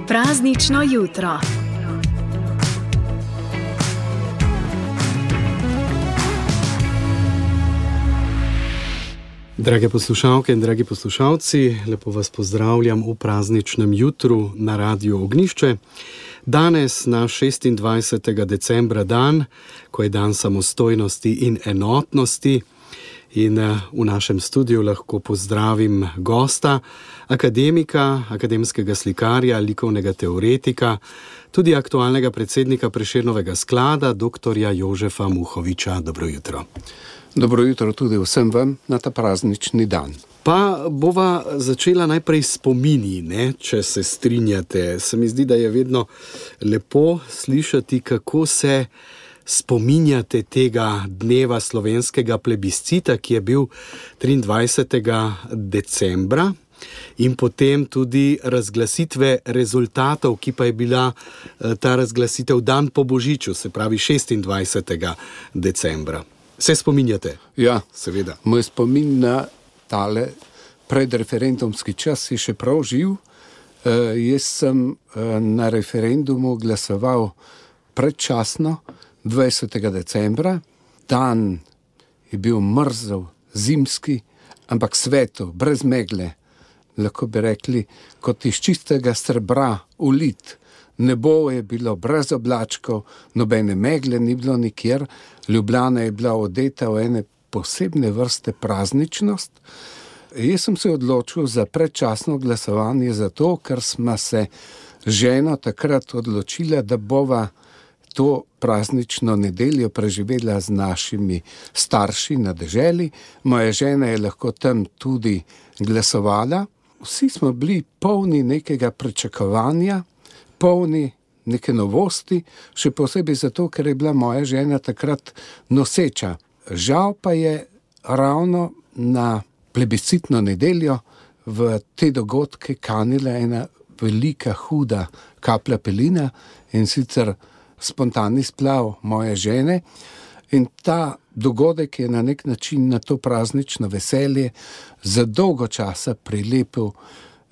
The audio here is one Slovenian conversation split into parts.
Praznično jutro. Drage poslušalke in dragi poslušalci, lepo vas pozdravljam v prazničnem jutru na Radiu Ognjišče. Danes, na 26. decembra, dan, ko je dan samostojnosti in enotnosti, in v našem studiu lahko pozdravim gosta, akademika, akademskega slikarja, likovnega teoretika, tudi aktualnega predsednika Prešernovega sklada, doktorja Jožefa Muhoviča. Dobro jutro. Dobro jutro tudi vsem vam na ta praznični dan. Pa bova začela najprej spomini, če se strinjate. Se mi zdi, da je vedno lepo slišati, kako se spominjate tega dneva slovenskega plebiscita, ki je bil 23. decembra, in potem tudi razglasitve rezultatov, ki pa je bila ta razglasitev dan po Božiču, se pravi 26. decembra. Se spominjate? Ja, seveda. Moj spomin na tale predreferendumski čas je še prav živ. Jaz sem na referendumu glasoval predčasno, 20. decembra. Dan je bil mrzel, zimski, ampak svetlo, brez megle. Lahko bi rekli, kot iz čistega srebra ulit. Nebo je bilo brez oblačkov, nobene megle ni bilo nikjer. Ljubljana je bila odeta v ene posebne vrste prazničnost. Jaz sem se odločil za predčasno glasovanje zato, ker smo se ženo takrat odločila, da bova to praznično nedeljo preživela z našimi starši na deželi. Moja žena je lahko tam tudi glasovala. Vsi smo bili polni nekega pričakovanja, polni neke novosti, še posebej zato, ker je bila moja žena takrat noseča. Žal pa je ravno na plebiscitno nedeljo v te dogodke kanila ena velika, huda kaplja pelina, in sicer spontani splav moje žene. In ta dogodek je na nek način na to praznično veselje za dolgo časa prilepil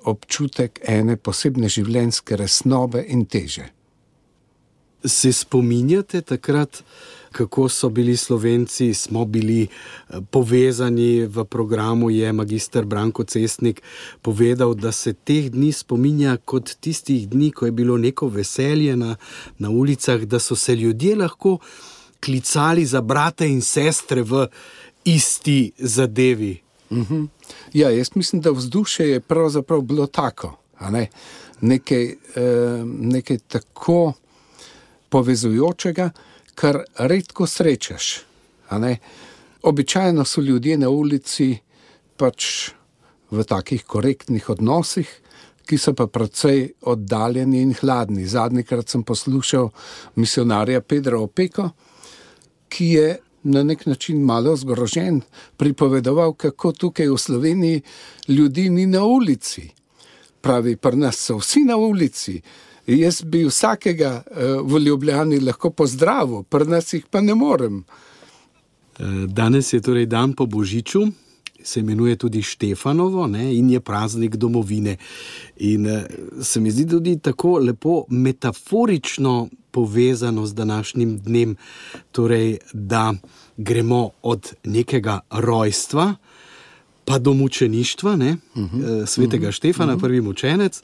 občutek ene posebne življenjske resnobe in teže. Se spominjate takrat, kako so bili Slovenci, smo bili povezani? V programu je magister Branko Cestnik povedal, da se teh dni spominja kot tistih dni, ko je bilo neko veselje na ulicah, da so se ljudje lahko klicali za brate in sestre v isti zadevi. Ja, jaz mislim, da vzdušje je pravzaprav bilo tako, a ne? Nekaj tako povezujočega, kar redko srečaš, a ne? Običajno so ljudje na ulici pač v takih korektnih odnosih, ki so pa precej oddaljeni in hladni. Zadnjikrat sem poslušal misionarja Pedra Opeko, ki je na nek način malo zgrožen pripovedoval, kako tukaj v Sloveniji ljudi ni na ulici. Pravi, pri nas so vsi na ulici. Jaz bi vsakega v Ljubljani lahko pozdravil, pri nas jih pa ne morem. Danes je torej dan po Božiču, se imenuje tudi Štefanovo, in je praznik domovine. In se mi zdi tudi tako lepo metaforično povezano z današnjim dnem, torej da gremo od nekega rojstva pa do mučeništva, svetega Štefana, prvi mučenec,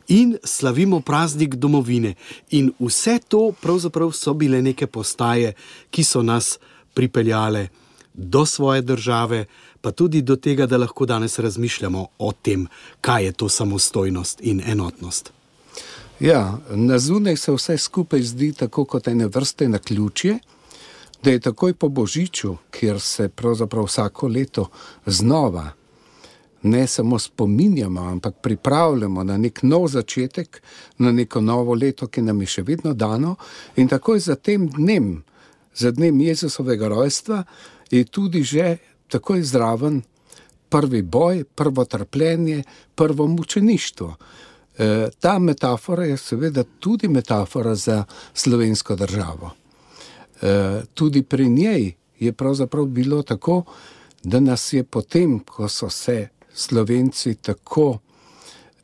in slavimo praznik domovine. In vse to pravzaprav so bile neke postaje, ki so nas pripeljale do svoje države, pa tudi do tega, da lahko danes razmišljamo o tem, kaj je to samostojnost in enotnost. Ja, na zunaj se vse skupaj zdi tako kot ene vrste naključje, da je takoj po Božiču, kjer se pravzaprav vsako leto znova ne samo spominjamo, ampak pripravljamo na nek nov začetek, na neko novo leto, ki nam je še vedno dano, in takoj za tem dnem, za dnem Jezusovega rojstva, je tudi že takoj zraven prvi boj, prvo trpljenje, prvo mučeništvo. Ta metafora je seveda tudi metafora za slovensko državo. Tudi pri njej je pravzaprav bilo tako, da nas je potem, ko so se Slovenci tako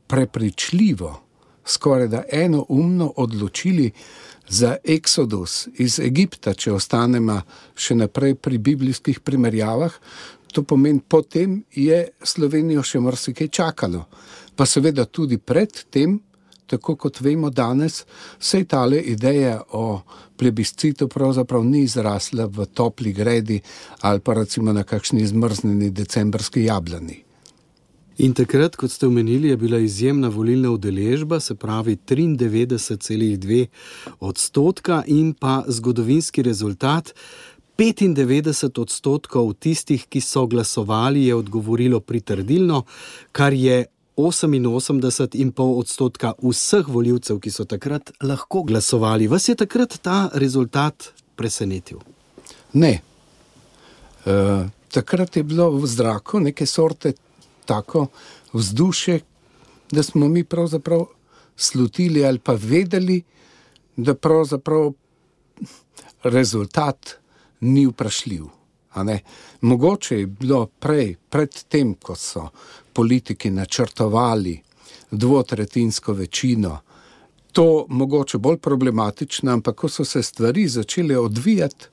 prepričljivo, skoraj da enoumno odločili za eksodus iz Egipta, če ostanemo še naprej pri biblijskih primerjavah, to pomeni, potem je Slovenijo še marsikaj čakalo. Pa seveda tudi pred tem, tako kot vemo danes, se je tale ideja o plebiscitu pravzaprav ni izrasla v topli gredi ali pa recimo na kakšni zmrznjeni decembrski jablani. In takrat, kot ste omenili, je bila izjemna volilna udeležba, se pravi 93,2% in pa zgodovinski rezultat 95% tistih, ki so glasovali, je odgovorilo pritrdilno, kar je 88,5% vseh volivcev, ki so takrat lahko glasovali. Vas je takrat ta rezultat presenetil? Ne. Takrat je bilo v zraku neke sorte tako vzdušje, da smo mi pravzaprav slutili ali pa vedeli, da pravzaprav rezultat ni vprašljiv. A ne? Mogoče je bilo pred tem, ko so politiki načrtovali dvotretjinsko večino, to mogoče bolj problematično, ampak ko so se stvari začele odvijati,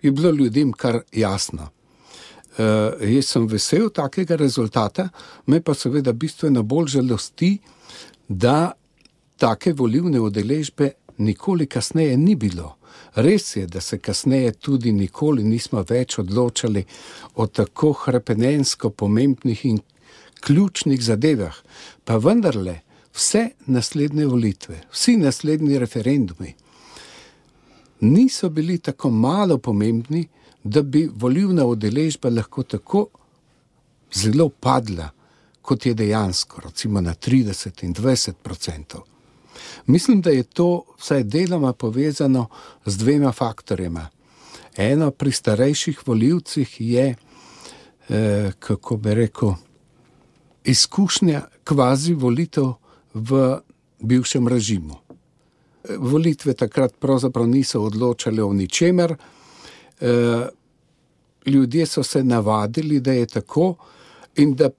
je bilo ljudem kar jasno. Jaz sem vesel takega rezultata, me pa seveda bistveno bolj žalosti, da take volilne udeležbe nikoli kasneje ni bilo. Res je, da se kasneje tudi nikoli nismo več odločali o tako hrepenensko pomembnih in ključnih zadevah, pa vendarle vse naslednje volitve, vsi naslednji referendumi niso bili tako malo pomembni, da bi volilna udeležba lahko tako zelo padla, kot je dejansko, recimo na 30 in 20%. Mislim, da je to vsaj deloma povezano z dvema faktorjema. Eno pri starejših volivcih je, kako bi rekel, izkušnja kvazi volitev v bivšem režimu. Volitve takrat pravzaprav niso odločale o ničemer, ljudje so se navadili, da je tako in da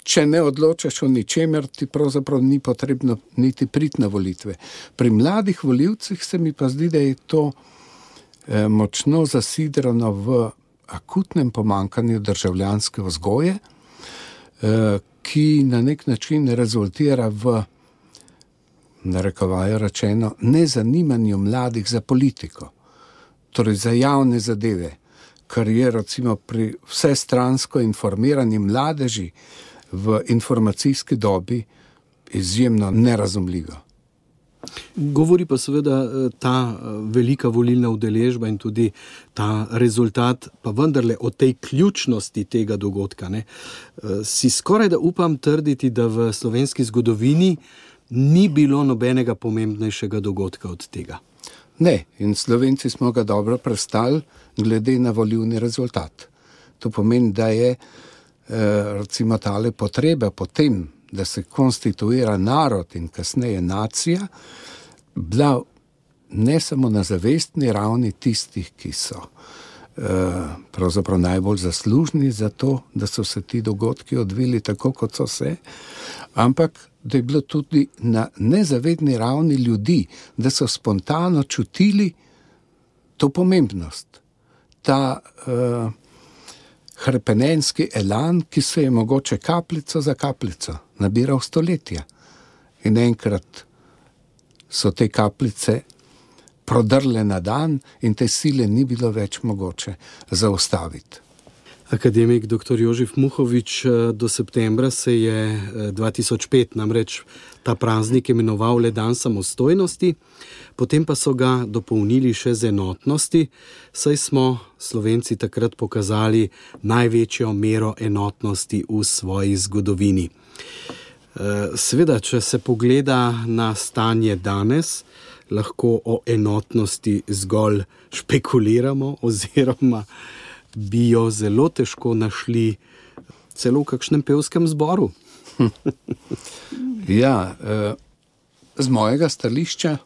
če ne odločaš o ničemer, ti pravzaprav ni potrebno niti priti na volitve. Pri mladih volivcih se mi pa zdi, da je to močno zasidrano v akutnem pomanjkanju državljanske vzgoje, ki na nek način rezultira v, narekovajo rečeno, nezanimanju mladih za politiko, torej za javne zadeve, kar je recimo pri vsestransko informirani mladeži v informacijski dobi izjemno nerazumljivo. Govori pa seveda ta velika volilna udeležba in tudi ta rezultat, pa vendarle o tej ključnosti tega dogodka. Ne? Si skoraj da upam trditi, da v slovenski zgodovini ni bilo nobenega pomembnejšega dogodka od tega. Ne, in Slovenci smo ga dobro prestali glede na volilni rezultat. To pomeni, da je recimo tale potreba po tem, da se konstituira narod in kasneje nacija, bila ne samo na zavestni ravni tistih, ki so pravzaprav najbolj zaslužni za to, da so se ti dogodki odvili tako, kot so se, ampak da je bilo tudi na nezavedni ravni ljudi, da so spontano čutili to pomembnost, ta hrepenenski elan, ki se je mogoče kapljico za kapljico nabiral stoletja. In enkrat so te kapljice prodrle na dan in te sile ni bilo več mogoče zaustaviti. Akademik dr. Jožef Muhovič, do septembra se je 2005 namreč ta praznik imenoval le dan samostojnosti, potem pa so ga dopolnili še z enotnosti, saj smo Slovenci takrat pokazali največjo mero enotnosti v svoji zgodovini. Seveda, če se pogleda na stanje danes, lahko o enotnosti zgolj špekuliramo oziroma bi jo zelo težko našli celo v kakšnem pevskem zboru. Ja, z mojega stališča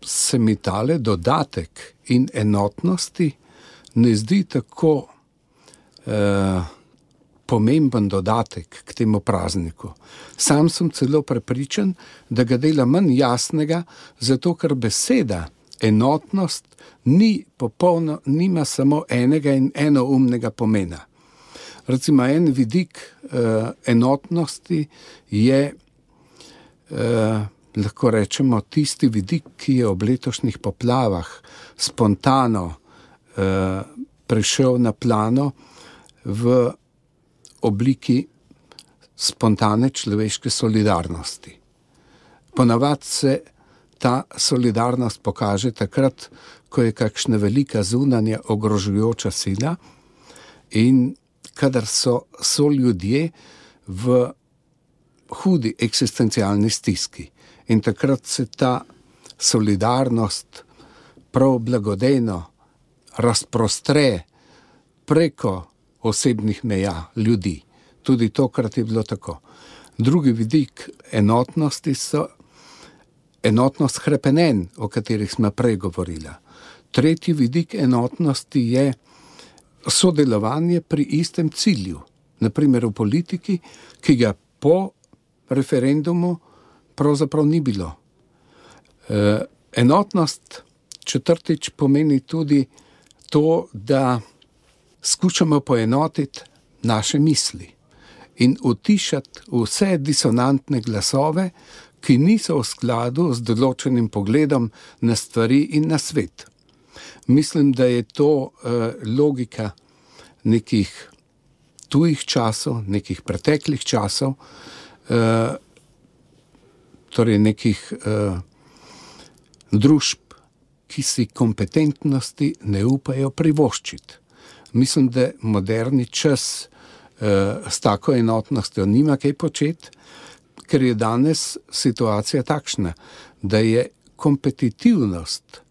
se mi tale dodatek in enotnosti ne zdi tako pomemben dodatek k temu prazniku. Sam sem celo prepričan, da ga dela manj jasnega, zato ker beseda enotnost nima samo enega in enoumnega pomena. Recimo en vidik enotnosti je, lahko rečemo, tisti vidik, ki je ob letošnjih poplavah spontano prišel na plano v obliki spontane človeške solidarnosti. Ponavadi se ta solidarnost pokaže takrat, ko je kakšna velika zunanja ogrožujoča sila in kadar so ljudje v hudi eksistencialni stiski. In takrat se ta solidarnost prav blagodejno razprostre preko osebnih meja ljudi. Tudi tokrat je bilo tako. Drugi vidik enotnosti so enotnost hrepenenj, o katerih smo prej govorila. Tretji vidik enotnosti je sodelovanje pri istem cilju, naprimer v politiki, ki ga po referendumu pravzaprav ni bilo. Enotnost četrtič pomeni tudi to, da skušamo poenotiti naše misli in utišati vse disonantne glasove, ki niso v skladu z določenim pogledom na stvari in na svet. Mislim, da je to logika nekih tujih časov, nekih preteklih časov, torej nekih družb, ki si kompetentnosti ne upajo privoščiti. Mislim, da moderni čas s tako enotnostjo nima kaj početi, ker je danes situacija takšna, da je kompetitivnost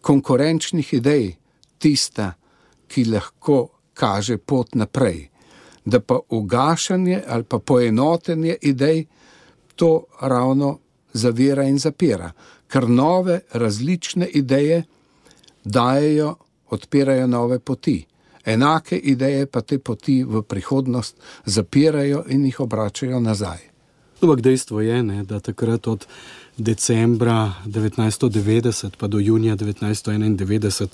konkurenčnih idej tista, ki lahko kaže pot naprej. Da pa ugašanje ali pa poenotenje idej to ravno zavira in zapira, ker nove različne ideje odpirajo nove poti. Enake ideje pa te poti v prihodnost zapirajo in jih obračajo nazaj. Ampak dejstvo je, da takrat od decembra 1990 pa do junija 1991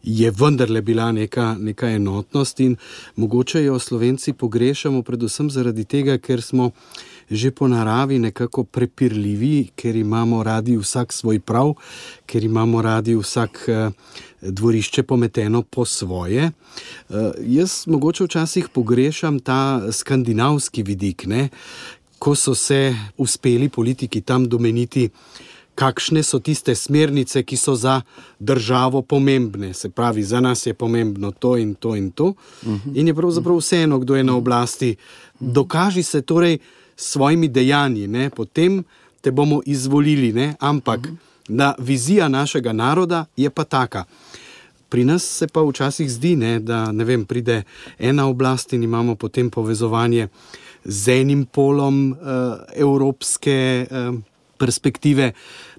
je vendarle bila neka enotnost in mogoče jo Slovenci pogrešamo predvsem zaradi tega, ker smo že po naravi nekako prepirljivi, ker imamo radi vsak svoj prav, ker imamo radi vsak dvorišče pometeno po svoje. Jaz mogoče včasih pogrešam ta skandinavski vidik, ko so se uspeli politiki tam domeniti, kakšne so tiste smernice, ki so za državo pomembne. Se pravi, za nas je pomembno to in to in to. In je pravzaprav vseeno, kdo je na oblasti. Dokaži se torej s svojimi dejanji, potem te bomo izvolili, ampak da vizija našega naroda je pa taka. Pri nas se pa včasih zdi, da pride ena oblast in imamo potem povezovanje z enim polom evropske perspektive,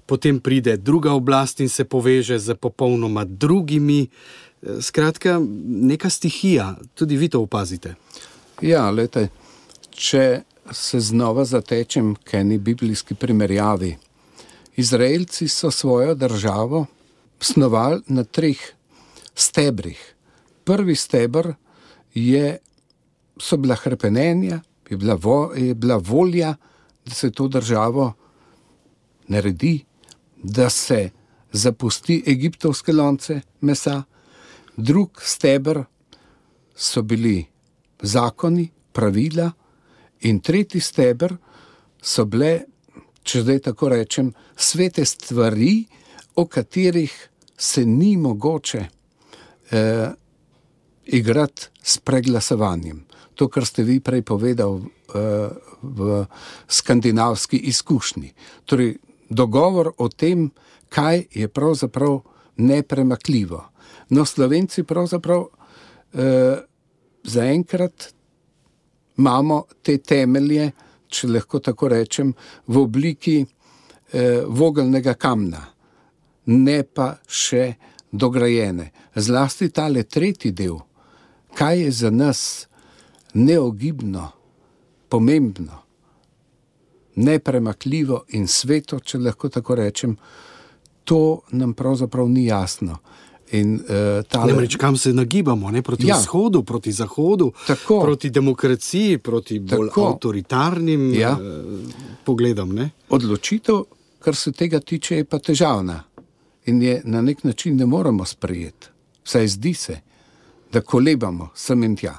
potem pride druga oblast in se poveže z popolnoma drugimi. Skratka, neka stihija, tudi vi to opazite. Ja, lejte, če se znova zatečem k eni biblijski primerjavi. Izraelci so svojo državo snovali na 3 stebrih. Prvi steber so bila hrepenenja, je bila volja, da se to državo naredi, da se zapusti egiptovske lonce mesa. Drug steber so bili zakoni, pravila in tretji steber so bile, če zdaj tako rečem, svete stvari, o katerih se ni mogoče igrati s preglasovanjem. To, kar ste vi prej povedal v skandinavski izkušnji. Torej, dogovor o tem, kaj je pravzaprav nepremakljivo. No, Slovenci pravzaprav zaenkrat imamo te temelje, če lahko tako rečem, v obliki vogelnega kamna, ne pa še dograjene. Zlasti tale tretji del, kaj je za nas neogibno, pomembno, nepremakljivo in sveto, če lahko tako rečem, to nam pravzaprav ni jasno. Namreč kam se nagibamo, ne? Proti vzhodu, proti zahodu, proti demokraciji, proti bolj avtoritarnim pogledom. Ne? Odločitev, kar se tega tiče, je pa težavna in je na nek način ne moremo sprejeti. Vsaj zdi se, da kolebamo sem in tja.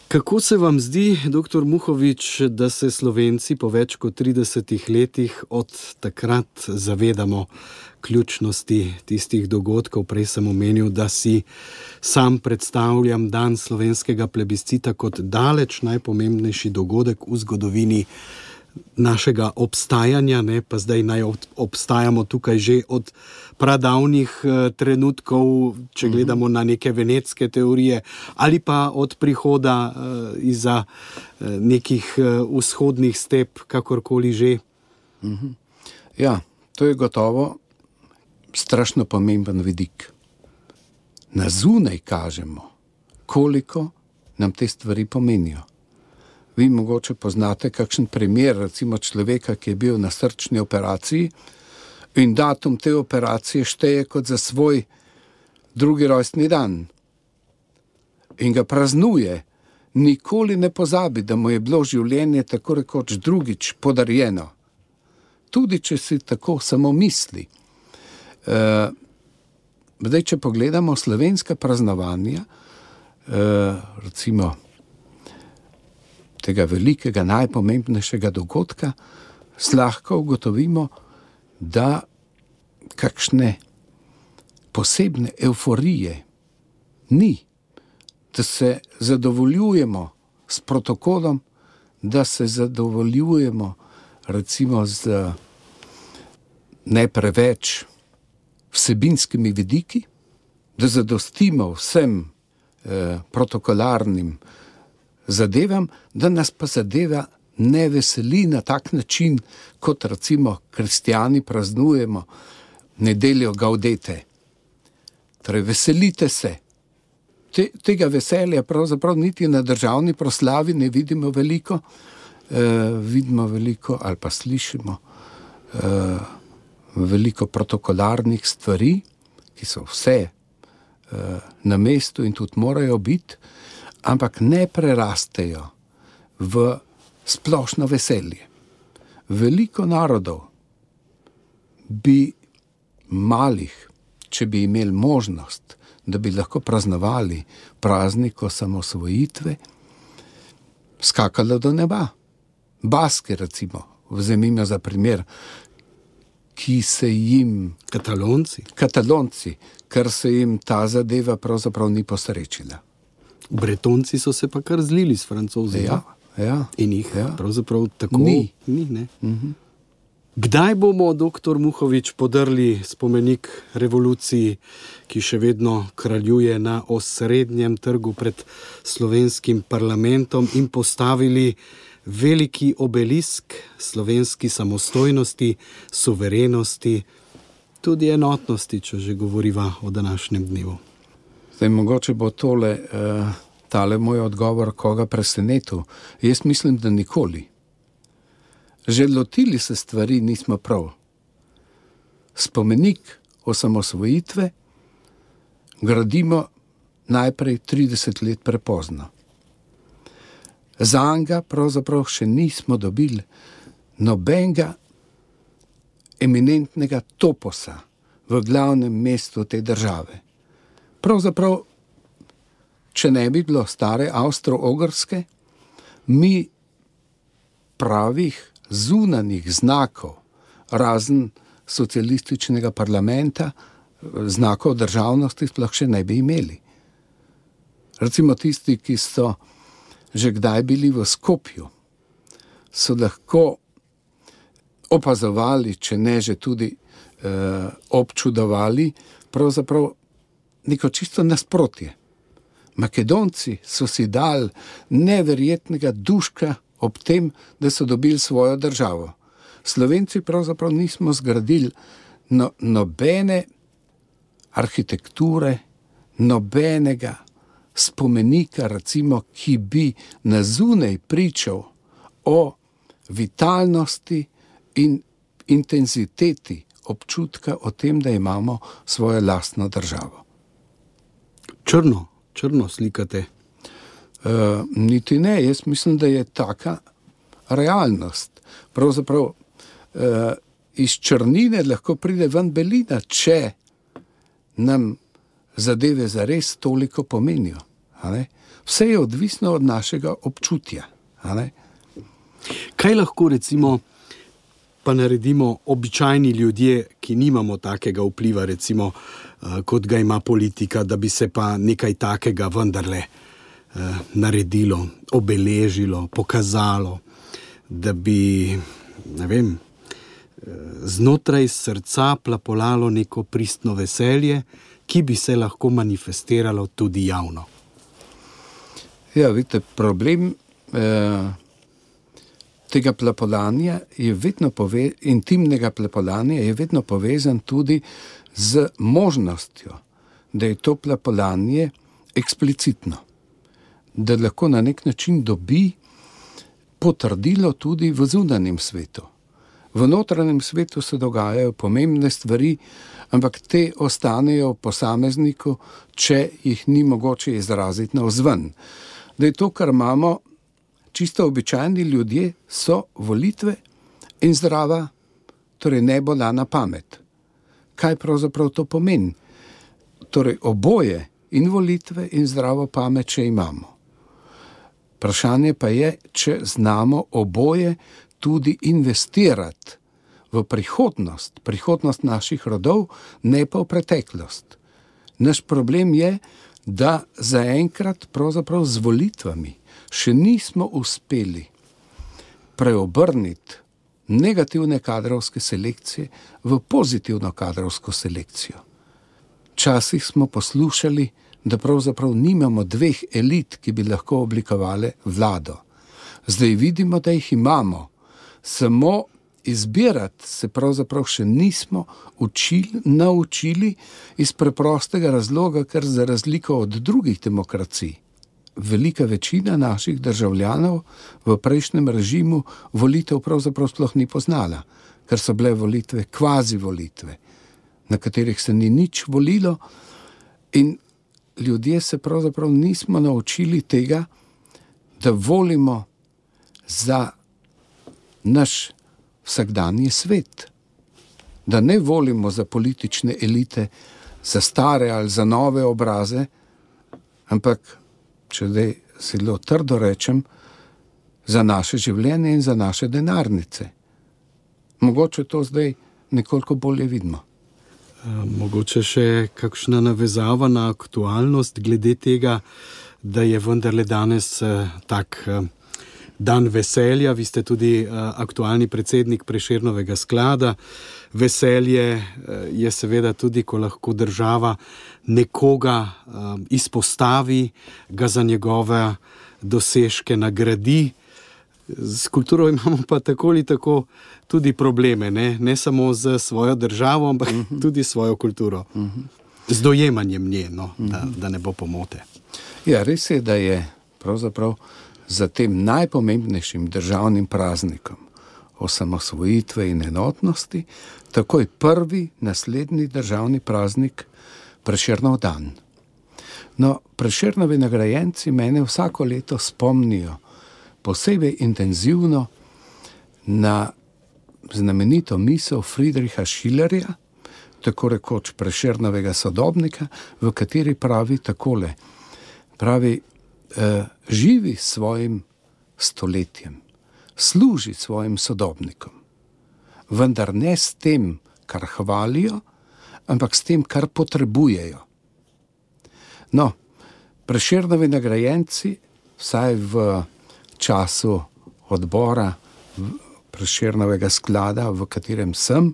Kako se vam zdi, dr. Muhovič, da se Slovenci po več kot 30 letih od takrat zavedamo ključnosti tistih dogodkov? Prej sem omenil, da si sam predstavljam dan slovenskega plebiscita kot daleč najpomembnejši dogodek v zgodovini našega obstajanja, ne? Pa zdaj naj obstajamo tukaj že od pradavnih trenutkov, če gledamo na neke venetske teorije, ali pa od prihoda izza nekih vzhodnih step, kakorkoli že. Ja, to je gotovo strašno pomemben vidik. Na zunaj kažemo, koliko nam te stvari pomenijo. Vi mogoče poznate kakšen primer, recimo človeka, ki je bil na srčni operaciji in datum te operacije šteje kot za svoj drugi rojstni dan. In ga praznuje, nikoli ne pozabi, da mu je bilo življenje tako rekoč drugič podarjeno. Tudi če si tako samo misli. Zdaj, če pogledamo slovenska praznovanja, recimo tega velikega, najpomembnejšega dogodka, lahko ugotovimo, da kakšne posebne evforije ni, da se zadovoljujemo s protokolom, da se zadovoljujemo recimo z ne preveč vsebinskimi vidiki, da zadostimo vsem protokolarnim zadevam, da nas pa zadeva ne veseli na tak način, kot recimo kristjani praznujemo nedeljo Gaudete. Torej, veselite se. Tega veselja pravzaprav niti na državni proslavi ne vidimo veliko, ali pa slišimo veliko protokolarnih stvari, ki so vse na mestu in tudi morajo biti, ampak ne prerastejo v splošno veselje. Veliko narodov bi malih, če bi imeli možnost, da bi lahko praznovali praznik osamosvojitve, skakalo do neba. Baski, recimo, vzemimo za primer, ki se jim... Katalonci, ker se jim ta zadeva pravzaprav ni posrečila. Bretonci so se pa kar zlili s Francozi. Ja. In jih pravzaprav tako ni. Ne? Kdaj bomo, dr. Muhovič, podrli spomenik revoluciji, ki še vedno kraljuje na osrednjem trgu pred slovenskim parlamentom, in postavili veliki obelisk slovenski samostojnosti, suverenosti, tudi enotnosti, če že govoriva o današnjem dnevu? Zdaj, mogoče bo tale moj odgovor koga presenetil. Jaz mislim, da nikoli. Že lotili se stvari nismo prav. Spomenik osamosvojitve gradimo najprej 30 let prepozno. Zanga pravzaprav še nismo dobili nobenega eminentnega toposa v glavnem mestu te države. Pravzaprav, če ne bi bilo stare Avstro-Ogrske, mi pravih zunanjih znakov, razen socialističnega parlamenta, znakov državnosti sploh še ne bi imeli. Recimo tisti, ki so že kdaj bili v Skopju, so lahko opazovali, če ne že tudi občudovali, pravzaprav neko čisto nasprotje. Makedonci so si dali neverjetnega duška ob tem, da so dobili svojo državo. Slovenci pravzaprav nismo zgradili nobene arhitekture, nobenega spomenika, recimo, ki bi na zunaj pričal o vitalnosti in intenziteti občutka o tem, da imamo svojo lastno državo. Črno slikate. Niti ne, jaz mislim, da je taka realnost. Pravzaprav iz črnine lahko pride ven belina, če nam zadeve zares toliko pomenijo. Vse je odvisno od našega občutja. Kaj lahko recimo pa naredimo običajni ljudje, ki nimamo takega vpliva, recimo, kot ga ima politika, da bi se pa nekaj takega vendarle naredilo, obeležilo, pokazalo, da bi, ne vem, znotraj srca plapolalo neko pristno veselje, ki bi se lahko manifestiralo tudi javno. Ja, vidite, problem tega plapolanja je vedno intimnega plapolanja je vedno povezan tudi z možnostjo, da je to plapolanje eksplicitno, da lahko na nek način dobi potrdilo tudi v zunanjem svetu. V notranjem svetu se dogajajo pomembne stvari, ampak te ostanejo posamezniku, če jih ni mogoče izraziti navzven. Da je to, kar imamo čisto običajni ljudje, so volitve in zdrava, torej nebolana pamet. Kaj pravzaprav to pomeni? Torej oboje, in volitve in zdravo pamet, če imamo. Vprašanje pa je, če znamo oboje tudi investirati v prihodnost naših rodov, ne pa v preteklost. Naš problem je, da zaenkrat pravzaprav z volitvami še nismo uspeli preobrniti negativne kadrovske selekcije v pozitivno kadrovsko selekcijo. Včasih smo poslušali, da pravzaprav nimamo dveh elit, ki bi lahko oblikovali vlado. Zdaj vidimo, da jih imamo. Samo izbirati se pravzaprav še nismo naučili iz preprostega razloga, ker za razliko od drugih demokracij velika večina naših državljanov v prejšnjem režimu volitev pravzaprav sploh ni poznala, ker so bile volitve kvazi volitve, na katerih se ni nič volilo, in ljudje se pravzaprav nismo naučili tega, da volimo za naš vsakdanji svet, da ne volimo za politične elite, za stare ali za nove obraze, ampak, če zdaj zelo trdo rečem, za naše življenje in za naše denarnice. Mogoče to zdaj nekoliko bolje vidimo. Mogoče še kakšna navezava na aktualnost glede tega, da je vendarle danes tak dan veselja. Vi ste tudi aktualni predsednik Prešernovega sklada. Veselje je seveda tudi, ko lahko država nekoga izpostavi, ga za njegove dosežke nagradi. S kulturo imamo pa tako ali tako tudi probleme, ne samo z svojo državo, ampak tudi svojo kulturo. Z dojemanjem nje, da ne bo pomote. Ja, res je, da je pravzaprav za tem najpomembnejšim državnim praznikom osamosvojitve in enotnosti takoj prvi naslednji državni praznik Prešernov dan. No, Prešernovi nagrajenci mene vsako leto spomnijo posebej intenzivno na znamenito misel Friedricha Schillerja, tako rekoč Prešernovega sodobnika, v kateri pravi takole. Pravi, živi svojim stoletjem, služi svojim sodobnikom, vendar ne s tem, kar hvalijo, ampak s tem, kar potrebujejo. No, Prešernovi nagrajenci, vsaj v času odbora Prešernovega sklada, v katerem sem,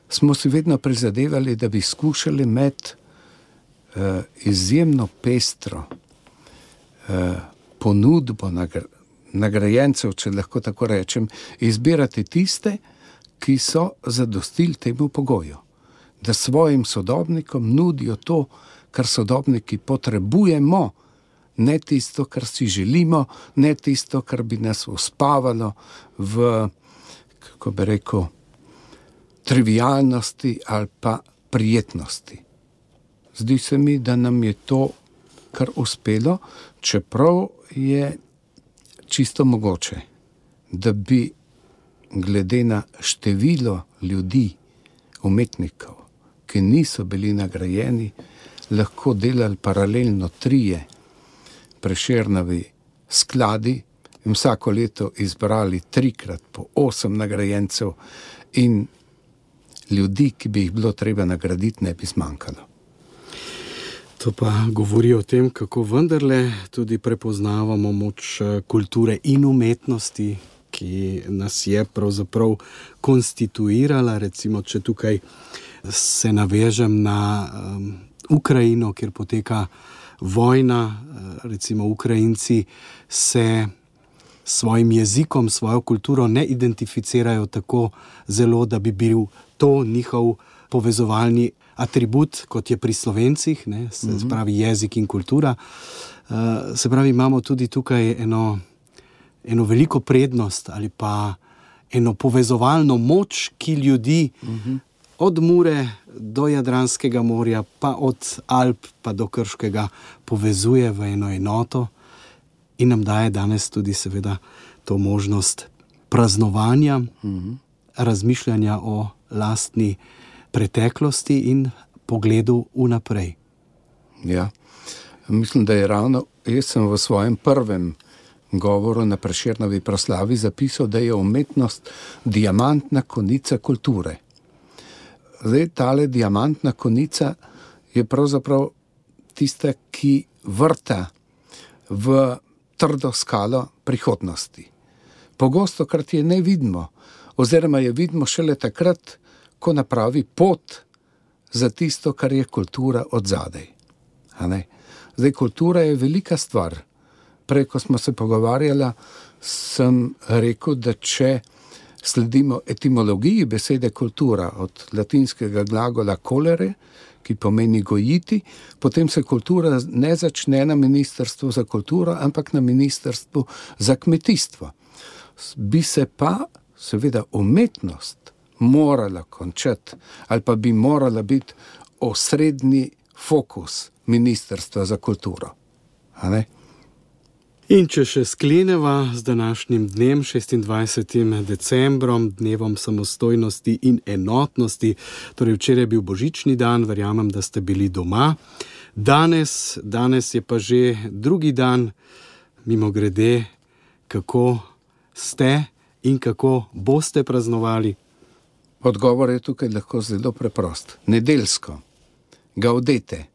smo si vedno prizadevali, da bi skušali med izjemno pestro ponudbo nagrajencev, če lahko tako rečem, izbirati tiste, ki so zadostili temu pogoju, da svojim sodobnikom nudijo to, kar sodobniki potrebujemo, ne tisto, kar si želimo, ne tisto, kar bi nas uspavalo v, kako bi rekel, trivialnosti ali pa prijetnosti. Zdi se mi, da nam je to kar uspelo, čeprav je čisto mogoče, da bi glede na število ljudi, umetnikov, ki niso bili nagrajeni, lahko delali paralelno 3 Prešernovi skladi in vsako leto izbrali 3-krat po 8 nagrajencev in ljudi, ki bi jih bilo treba nagraditi, ne bi zmanjkalo. To pa govori o tem, kako vendarle tudi prepoznavamo moč kulture in umetnosti, ki nas je pravzaprav konstituirala. Recimo, če tukaj se navežem na Ukrajino, kjer poteka vojna, recimo Ukrajinci se svojim jezikom, svojo kulturo ne identificirajo tako zelo, da bi bil to njihov povezovalni atribut, kot je pri Slovencih, ne, se pravi jezik in kultura. Se pravi, imamo tudi tukaj eno veliko prednost ali pa eno povezovalno moč, ki ljudi od Mure do Jadranskega morja, pa od Alp pa do Krškega povezuje v eno enoto in nam daje danes tudi seveda to možnost praznovanja, razmišljanja o lastni preteklosti in pogledu vnaprej. Ja, mislim, da je ravno, jaz sem v svojem prvem govoru na Prešernovi proslavi zapisal, da je umetnost diamantna konica kulture. Zdaj, tale diamantna konica je pravzaprav tista, ki vrta v trdo skalo prihodnosti. Pogosto krat je ne vidimo, oziroma je vidimo šele takrat, ko napravi pot za tisto, kar je kultura od zadaj. Zdaj, kultura je velika stvar. Prej, ko smo se pogovarjali, sem rekel, da če sledimo etimologiji besede kultura od latinskega glagola colere, ki pomeni gojiti, potem se kultura ne začne na Ministrstvu za kulturo, ampak na Ministrstvu za kmetijstvo. Bi se pa seveda umetnost morala končati ali pa bi morala biti osrednji fokus Ministrstva za kulturo. In če še skleneva z današnjim dnem, 26. decembrom, dnevom samostojnosti in enotnosti, torej včeraj je bil božični dan, verjamem, da ste bili doma. Danes je pa že drugi dan, mimogrede, kako ste in kako boste praznovali. Odgovor je tukaj lahko zelo preprost. Nedeljsko. Gaudete.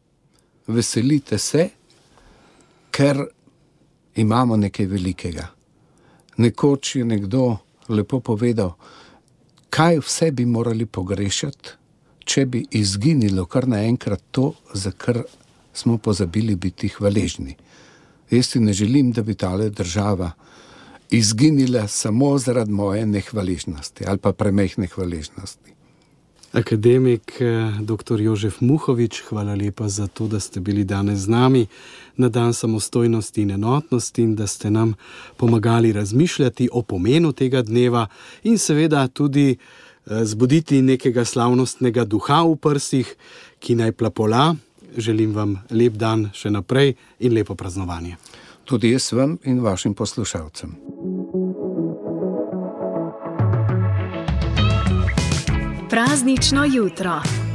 Veselite se, ker imamo nekaj velikega. Nekoč je nekdo lepo povedal, kaj vse bi morali pogrešati, če bi izginilo kar naenkrat to, za kar smo pozabili biti hvaležni. Jaz si ne želim, da bi tale država izginila samo zaradi moje nehvaležnosti ali pa premehne hvaležnosti. Akademik dr. Jožef Muhovič, hvala lepa za to, da ste bili danes z nami na dan samostojnosti in enotnosti in da ste nam pomagali razmišljati o pomenu tega dneva in seveda tudi zbuditi nekega slavnostnega duha v prsih, ki naj plapola. Želim vam lep dan še naprej in lepo praznovanje. Tudi jaz vam in vašim poslušalcem. Praznično jutro.